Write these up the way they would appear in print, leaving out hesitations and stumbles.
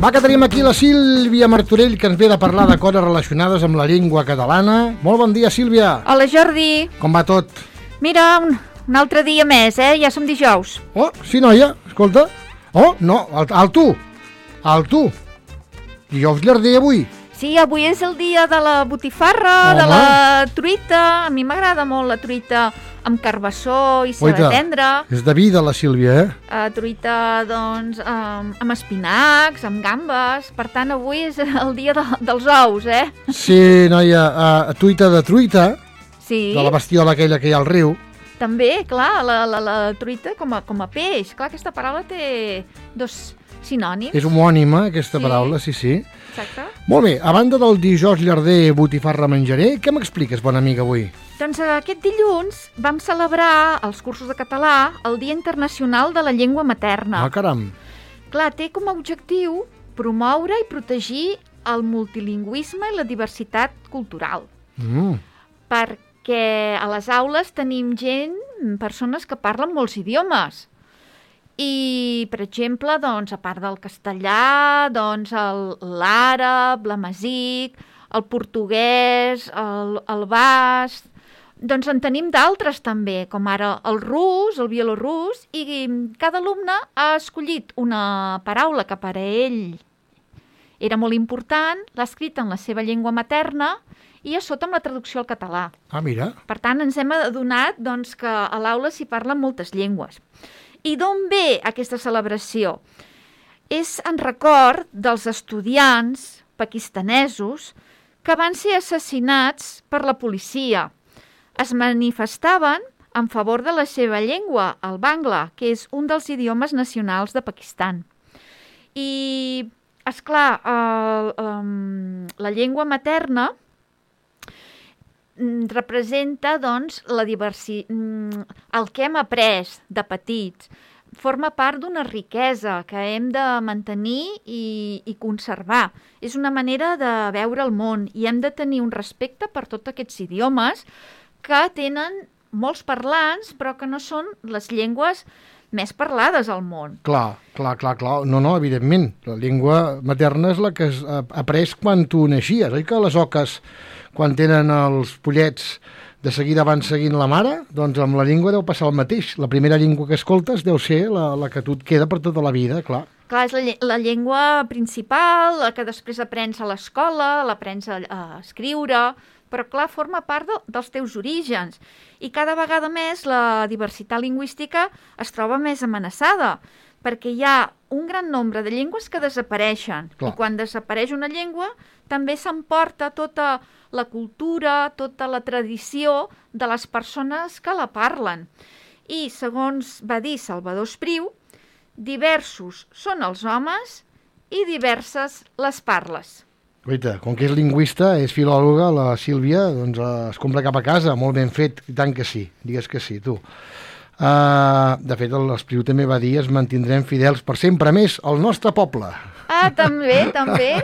Va, que tenim aquí la Sílvia Martorell, que ens ve de parlar de coses relacionades amb la llengua catalana. Molt bon dia, Sílvia. Hola, Jordi. Com va tot? Mira, un altre dia més, ja som dijous. Oh, sí, noia, escolta. Oh, no, al tu. Dijous llarder avui. Sí, avui és el dia de la botifarra, Home. de la truita. A mi m'agrada molt la truita amb carbassó i ceba tendra. És de vida, la Sílvia, Truita, doncs, amb espinacs, amb gambes. Per tant, avui és el dia dels ous, Sí, noia, truita de truita, Sí. de la bestiola aquella que hi ha al riu. També, clar, la truita com a peix. Clar, aquesta paraula té dos sinònims. És homònima, aquesta Sí. paraula, sí. Exacte. Molt bé, a banda del dijous llarder botifarra menjaré, què m'expliques, bona amiga, avui? Doncs aquest dilluns vam celebrar als cursos de català el Dia Internacional de la Llengua Materna. Ah, caram. Clar, té com a objectiu promoure i protegir el multilingüisme i la diversitat cultural. Perquè a les aules tenim persones que parlen molts idiomes. I, per exemple, doncs, a part del castellà, doncs, l'àrab, l'amazic, el portuguès, el basc. Doncs en tenim d'altres també, com ara el rus, el bielorrus, i cada alumne ha escollit una paraula que per a ell era molt important, l'ha escrit en la seva llengua materna i a sota amb la traducció al català. Ah, mira. Per tant, ens hem adonat doncs, que a l'aula s'hi parlen moltes llengües. I d'on ve aquesta celebració? És en record dels estudiants pakistanesos que van ser assassinats per la policia. Es manifestaven en favor de la seva llengua, el bangla, que és un dels idiomes nacionals de Pakistan. I, esclar, la llengua materna representa, doncs, el que hem après de petits. Forma part d'una riquesa que hem de mantenir i conservar. És una manera de veure el món i hem de tenir un respecte per tots aquests idiomes que tenen molts parlants, però que no són les llengües més parlades al món. Clar. No, evidentment. La llengua materna és la que has après quan tu naixies. Oi que les oques, quan tenen els pollets, de seguida van seguint la mare? Doncs amb la llengua deu passar el mateix. La primera llengua que escoltes deu ser la que tu et queda per tota la vida, clar. Clar, és la llengua principal, la que després aprens a l'escola, l'aprens a escriure, però clar, forma part dels teus orígens. I cada vegada més la diversitat lingüística es troba més amenaçada, perquè hi ha un gran nombre de llengües que desapareixen. Clar. I quan desapareix una llengua, també s'emporta tota la cultura, tota la tradició de les persones que la parlen. I, segons va dir Salvador Espriu, diversos són els homes i diverses les parles. Guaita, com que és lingüista, és filòloga, la Sílvia, doncs es compra cap a casa, molt ben fet, i tant que sí, digues que sí, tu. De fet, l'Espriu també va dir es mantindrem fidels per sempre més al nostre poble. Ah, també.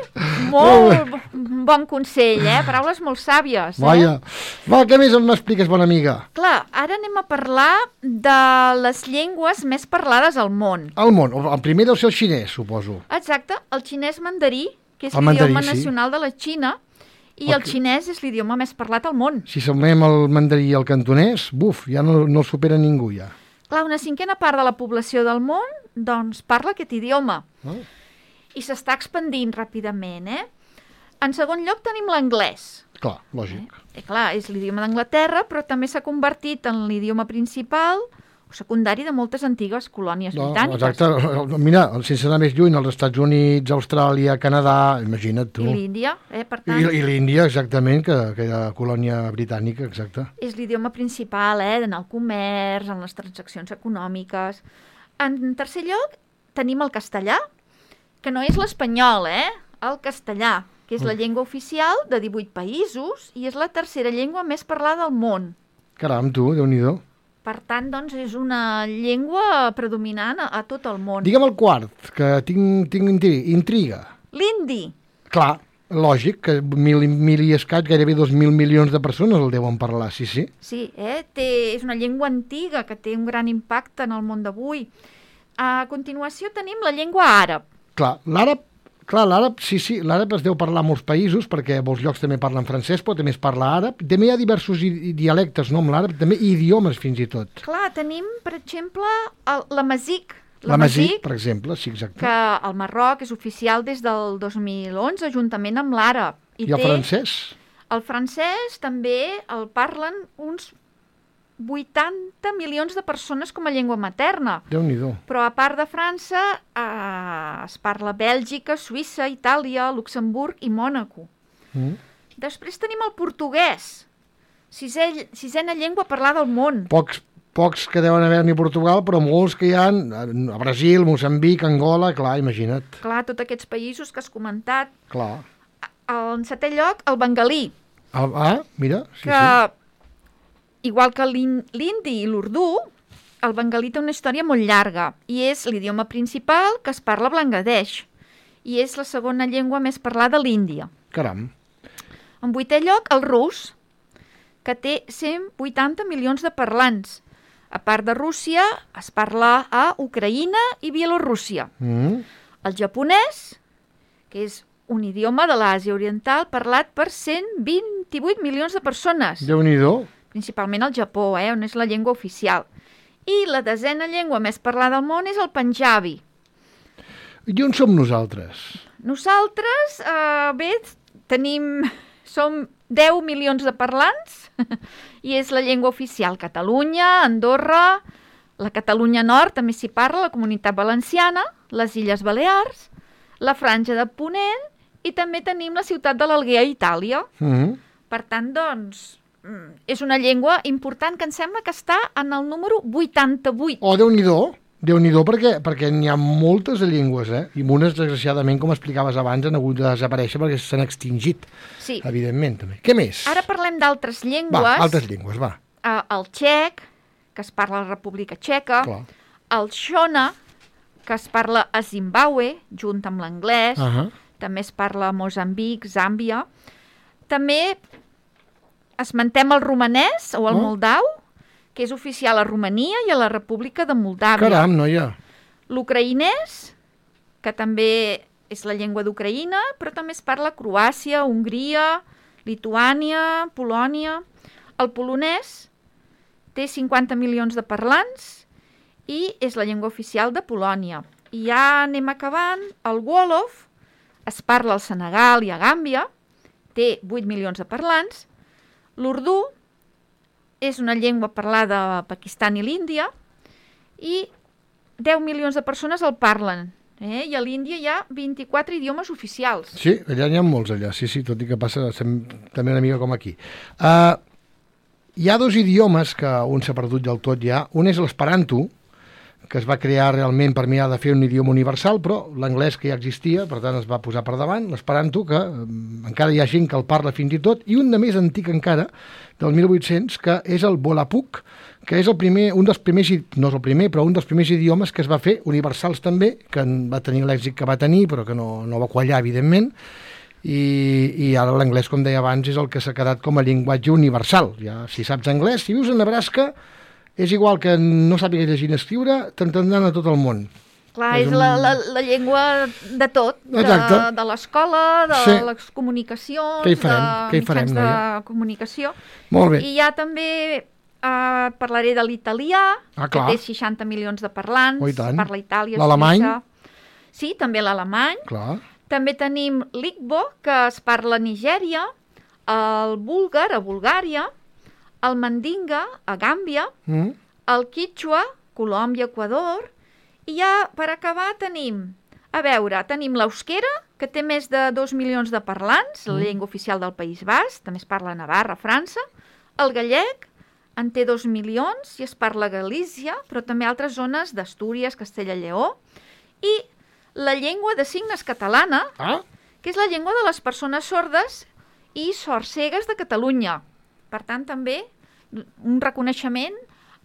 Molt bon consell, Paraules molt sàvies, Vaja. Va, què més m'expliques, bona amiga? Clar, ara anem a parlar de les llengües més parlades al món. Al món. El primer deu ser el xinès, suposo. Exacte, el xinès mandarí, que és El mandarí, l'idioma sí. nacional de la Xina, i el xinès és l'idioma més parlat al món. Si sumem el mandarí i el cantonès, ja no el supera ningú, ja. Clar, una cinquena part de la població del món, doncs, parla aquest idioma. I s'està expandint ràpidament, En segon lloc tenim l'anglès. Clar, lògic. Clar, és l'idioma d'Anglaterra, però també s'ha convertit en l'idioma principal o secundari de moltes antigues colònies britàniques. Exacte. Mira, sense anar més lluny, els Estats Units, Austràlia, Canadà, imagina't tu. I l'Índia, per tant. I l'Índia, exactament, que era colònia britànica, exacte. És l'idioma principal, en el comerç, en les transaccions econòmiques. En tercer lloc, tenim el castellà, que no és l'espanyol, el castellà, que és la llengua oficial de 18 països i és la tercera llengua més parlada al món. Caram, tu, Déu-n'hi-do. Per tant, doncs, és una llengua predominant a tot el món. Digue'm el quart, que tinc intriga. L'hindi. Clar, lògic, que mil i escaig, gairebé 2.000 milions de persones el deuen parlar, sí. Sí, és una llengua antiga que té un gran impacte en el món d'avui. A continuació tenim la llengua àrab. Clar, l'àrab Clar, l'àrab, sí, l'àrab es deu parlar a molts països, perquè a molts llocs també parlen francès, però també es parla àrab. També hi ha diversos dialectes, no, amb l'àrab, també idiomes fins i tot. Clar, tenim, per exemple, l'amazic. L'amazic, per exemple, sí, exacte. Que al Marroc és oficial des del 2011, juntament amb l'àrab. I el francès? El francès també el parlen uns 80 milions de persones com a llengua materna. Déu-n'hi-do. Però a part de França es parla a Bèlgica, Suïssa, Itàlia, Luxemburg i Mònaco. Després tenim el portuguès, sisena llengua parlada al món. Pocs que deuen haver-n'hi a Portugal, però molts que hi ha a Brasil, Moçambic, Angola, clar, imagina't. Clar, tots aquests països que has comentat. Clar. En setè lloc, el bengalí. Mira, sí. Igual que l'hindi i l'urdú, el bengalí té una història molt llarga i és l'idioma principal que es parla a Bangladesh i és la segona llengua més parlada a l'Índia. Caram. En vuitè lloc, el rus, que té 180 milions de parlants. A part de Rússia, es parla a Ucraïna i Bielorússia. El japonès, que és un idioma de l'Àsia Oriental parlat per 128 milions de persones. Déu-n'hi-do. Principalment al Japó, on és la llengua oficial. I la desena llengua més parlada al món és el panjabi. I on som nosaltres? Nosaltres, som 10 milions de parlants i és la llengua oficial. Catalunya, Andorra, la Catalunya Nord també s'hi parla, la Comunitat Valenciana, les Illes Balears, la Franja de Ponent i també tenim la ciutat de l'Alguer a Itàlia. Per tant, doncs, és una llengua important que em sembla que està en el número 88. Oh, Déu-n'hi-do, perquè n'hi ha moltes de llengües, i unes, desgraciadament, com explicaves abans, han hagut de desaparèixer perquè s'han extingit, sí. Evidentment, també. Què més? Ara parlem d'altres llengües. Altres llengües, va. El txec, que es parla a la República Txeca. Clar. El xona, que es parla a Zimbàbue, junt amb l'anglès. També es parla a Moçambic, Zàmbia. També esmentem el romanès o el moldau, que és oficial a Romania i a la República de Moldàvia. Caram, noia. L'ucraïnès, que també és la llengua d'Ucraïna, però també es parla a Croàcia, Hongria, Lituània, Polònia. El polonès té 50 milions de parlants i és la llengua oficial de Polònia. I ja anem acabant. El wòlof es parla al Senegal i a Gàmbia, té 8 milions de parlants. L'urdú és una llengua parlada a Pakistan i l'Índia i 10 milions de persones el parlen. I a l'Índia hi ha 24 idiomes oficials. Sí, allà n'hi ha molts, allà. Sí, tot i que passa també una mica com aquí. Hi ha dos idiomes que un s'ha perdut del tot ja. Un és l'esperanto, que es va crear realment per mirar de fer un idioma universal, però l'anglès que ja existia, per tant es va posar per davant, l'esperanto, que encara hi ha gent que el parla fins i tot, i un de més antic encara, del 1800, que és el volapük, que és un dels primers, no és el primer, però un dels primers idiomes que es va fer, universals també, que va tenir l'èxit que va tenir, però que no va quallar, evidentment, i ara l'anglès, com deia abans, és el que s'ha quedat com a llenguatge universal. Ja, si saps anglès, si vius a Nebraska, és igual que no sàpigues llegir ni escriure, t'entendran a tot el món. Clar, és la llengua de tot, de l'escola, de les comunicacions, de mitjans de comunicació. Molt bé. I ja també parlaré de l'italià, que té 60 milions de parlants, parla a Itàlia, l'alemany. Sí, també l'alemany. Clar. També tenim l'igbo, que es parla a Nigèria, el búlgar a Bulgària, el mandinga a Gàmbia, el quichua, Colòmbia, Equador, i ja per acabar tenim l'euskera, que té més de 2 milions de parlants, la llengua oficial del País Basc, també es parla a Navarra, França, el gallec en té 2 milions i es parla a Galícia, però també a altres zones d'Astúries, Castella i Lleó, i la llengua de signes catalana, que és la llengua de les persones sordes i sordcegues de Catalunya. Per tant, també un reconeixement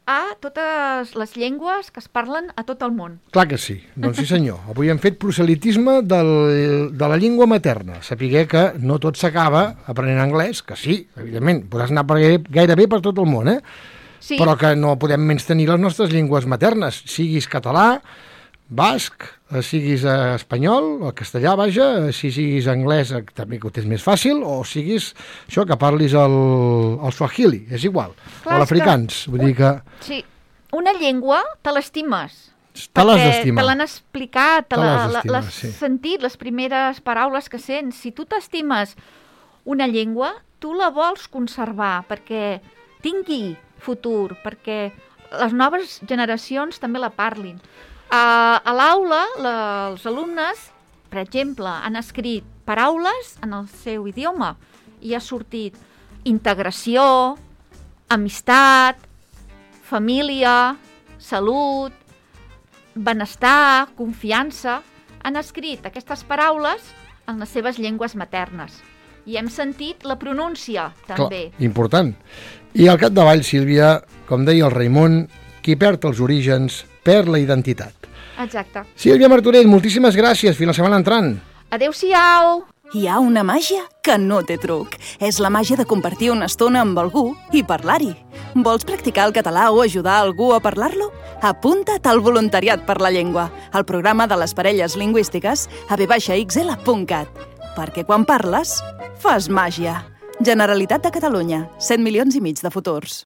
a totes les llengües que es parlen a tot el món. Clar que sí, doncs sí senyor. Avui hem fet proselitisme de la llengua materna. Sapiguer que no tot s'acaba aprenent anglès, que sí, evidentment, podràs anar gairebé per tot el món, Sí. Però que no podem menys tenir les nostres llengües maternes, siguis català, basc, siguis espanyol, el castellà, vaja, si siguis anglès, també que ho tens més fàcil, o siguis això, que parlis el swahili, és igual, o l'afrikaans. Vull dir que... Sí, una llengua te l'estimes. Te l'has d'estimar. Te l'han explicat, l'has sí. sentit, les primeres paraules que sents. Si tu t'estimes una llengua, tu la vols conservar perquè tingui futur, perquè les noves generacions també la parlin. A l'aula, els alumnes, per exemple, han escrit paraules en el seu idioma i ha sortit integració, amistat, família, salut, benestar, confiança. Han escrit aquestes paraules en les seves llengües maternes. I hem sentit la pronúncia, també. Clar, important. I al capdavall, Sílvia, com deia el Raimon, qui perd els orígens perd la identitat. Exacte. Sílvia Martorell, moltíssimes gràcies. Fins la setmana entrant. Adéu-siau! Hi ha una màgia que no té truc. És la màgia de compartir una estona amb algú i parlar-hi. Vols practicar el català o ajudar algú a parlar-lo? Apunta't al Voluntariat per la Llengua, al programa de les parelles lingüístiques a v-xl.cat. Perquè quan parles, fas màgia. Generalitat de Catalunya, 7,5 milions de futurs.